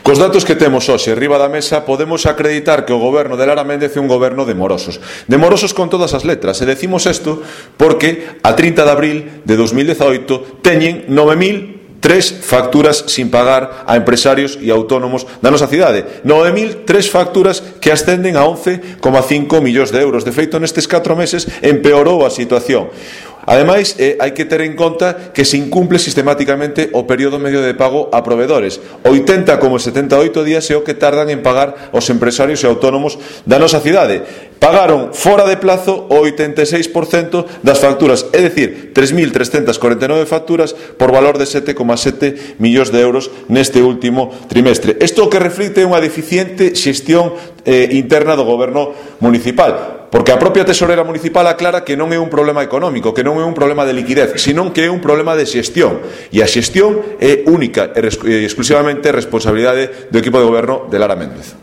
Cos datos que temos hoxe riba da mesa podemos acreditar que o goberno de Lara Méndez é un goberno de morosos. De morosos con todas as letras. E decimos isto porque a 30 de abril de 2018 teñen 9.003 facturas sin pagar a empresarios e autónomos da nosa cidade. 9.003 facturas que ascenden a 11,5 millóns de euros. De feito, nestes 4 meses empeorou a situación. Ademais, hai que ter en conta que se incumple sistemáticamente o período medio de pago a provedores. 80 como 78 días é o que tardan en pagar os empresarios e autónomos da nosa cidade. Pagaron fora de plazo o 86% das facturas, é dicir, 3.349 facturas por valor de 7,7 millóns de euros neste último trimestre. Isto o que reflicte unha deficiente xestión interna do goberno municipal. Porque a propia tesorera municipal aclara que non é un problema económico, que non é un problema de liquidez, senón que é un problema de xestión. E a xestión é única e exclusivamente responsabilidade do equipo de goberno de Lara Méndez.